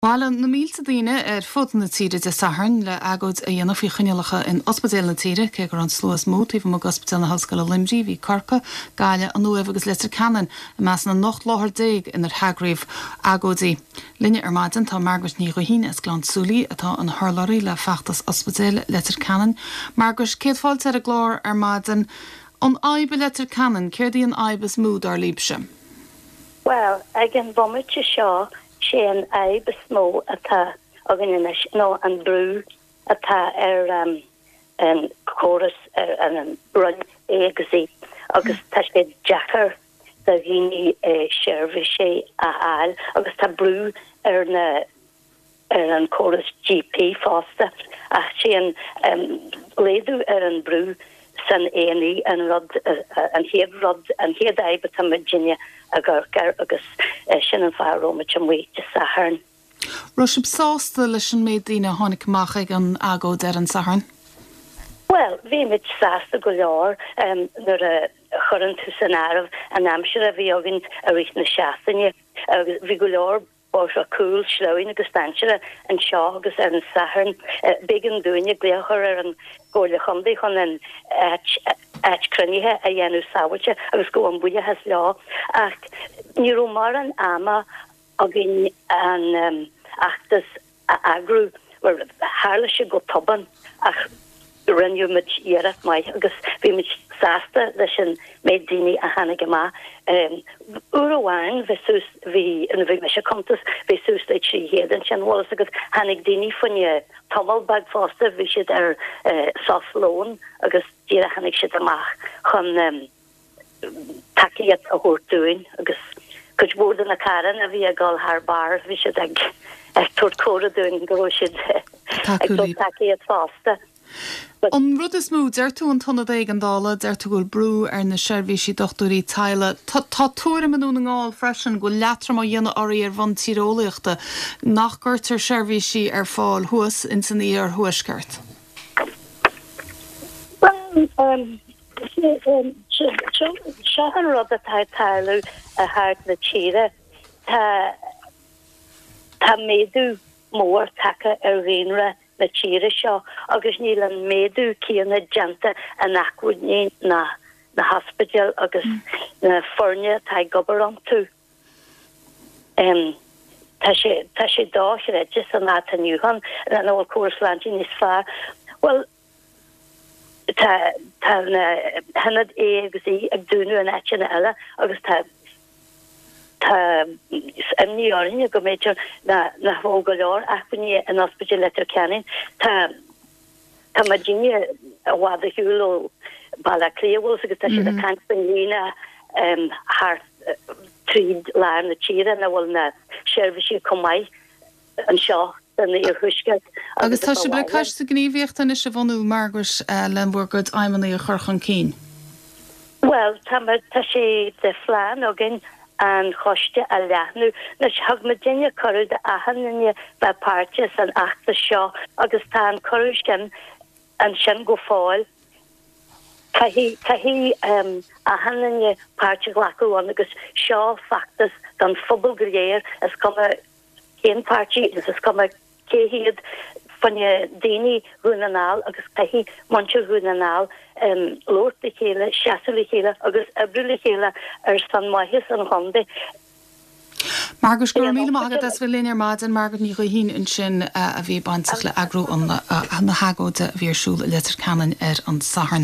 Bhailigh na mílte daoine ar fud na tíre Dé Sathairn le agóid a dhéanamh faoi choinníollacha in ospidéil na tíre. Cé go raibh an slua is mó taobh amuigh d'Ospidéal na hOllscoile Luimnigh, bhí Corcaigh, Gaillimh, an Uaimh agus Leitir Ceanainn i measc na n-ocht láthair inar heagraíodh agóidí. Linne ar maidin tá Margaret Ní Ghuithín as Gleann tSúilí atá ina hurlabhraí le Feachtas Ospidéil Leitir Ceanainn. Margaret, céad fáilte ar an gclár ar maidin. An fhadhb i Leitir Ceanainn, céard í an fhadhb is mó dar libhse? Bhuel, ag an bhomaite seo Sé an fhadhb is mó atá againn anois ná an brú atá ar an chóras, ar an Roinn A agus E agus tá sé deacair do dhaoine seirbhísí a fháil agus tá brú ar na ar an chóras GP fosta ach sé an laghdú ar an brú san A&E an rud, an chéad rud, an chéad fhadhb atá muidinne ag amharc air agus sin an fáth a raibh muid amuigh Dé Sathairn. Raibh sibh sásta leis an méid daoine a tháinig amach ag an agóid ar an Satharn? Bhuel, bhí muid sásta go leor nuair a chuireann tú san áireamh an aimsir a bhí againn i rith na seachtaine agus bhí go leor bóithre cúil, sleamhain agus dainséarach anseo agus ar an Satharn b'éigean dúinne glaoch a chur ar an gComhairle Chontae chun an áit áit cruinnithe a dhéanamh sábháilte agus gabhaim buíochas leo ach ní raibh mórán ama againn an fheachtas a eagrú. Bhuel, tharla sé go tobann ach rinne muid iarracht maith agus bhí muid sásta leis an méid daoine a tháinig amach. Uair amháin bhí suas, bhí, nuair a bhí mise ag cuntas, bhí suas le 300 ansin, bhfuil fhios agat, tháinig daoine fá choinne tamall beag fosta, bhí siad ar sos lóin agus díreach tháinig siad amach chun tacaíocht a thabhairt dúinn agus cuid mhór de na carranna a bhí ag dul thar barr, bhí siad ag tabhairt comhartha dúinn go raibh siad ag tabhairt tacaíocht fosta. An rud is mó, deir tú an t-ionad éigeandála, deir tú go bhfuil brú ar na seirbhísí dochtúirí teaghlaigh. Tá tuairim i nDún na nGall freisin go bhfuil leatrom á dhéanamh oraibh ar bhonn tíreolaíochta, nach gcuirtear seirbhísí ar fáil thuas ins an iarthuaisceart. Bhuel, Seo an rud atá ag tarlú thart na tíre. Tá tá méadú mór tagtha ar dhaonra na tíre seo agus níl an méadú céanna déanta in acmhainní na na hospidéil agus na foirne atá ag obair iontu. Tá sé tá sé dochreidte san lá atá inniu ann nach bhfuil córas sláinte níos fearr. Bhuel, Tá tá na hionaid A agus E ag dúnadh in áiteanna eile agus tá tá imní orainne go mb'fhéidir nach bhfuil go leor acmhainní in Ospidéal Leitir Ceanainn. Tá tá muidinne i bhfad ar shiúl ó Baile Átha Cliath bhfuil agus tá siad ag caint faoin líne thart tríd lár na tíre ina bhfuil na seirbhísí chomh maith. anseo san iarthuaisceart Agus tá sibh le coiste gníomhaíochta anois a bhunú, Margaret, le bhur gcuid aidhmeanna a chur chun cinn. Bhuel, tá, tá sé de phlean againn an choiste a leathnú. Anois, thug muidinne cuireadh d'achan duine bheith páirteach san fheachtas seo agus tá an cuireadh sin ansin go fóill. Caithfidh, caithfidh achan duine páirt a ghlacadh ann agus seo feachtas don phobal go léir, is cuma cén páirtí agus is cuma cé hiad fá choinne daoine Dhún na nGall agus caithfidh muintir Dhún na nGall labhairt le chéile, seasamh le chéile agus oibriú le chéile ar son maitheas an chontae. Margaret, go raibh míle maith agat as bheith linn ar maidin. Margaret Ní Ghuithín ansin a bhí bainteach le eagrú na hagóide a bhí ar siúl i Leitir Ceanainn ar an Satharn.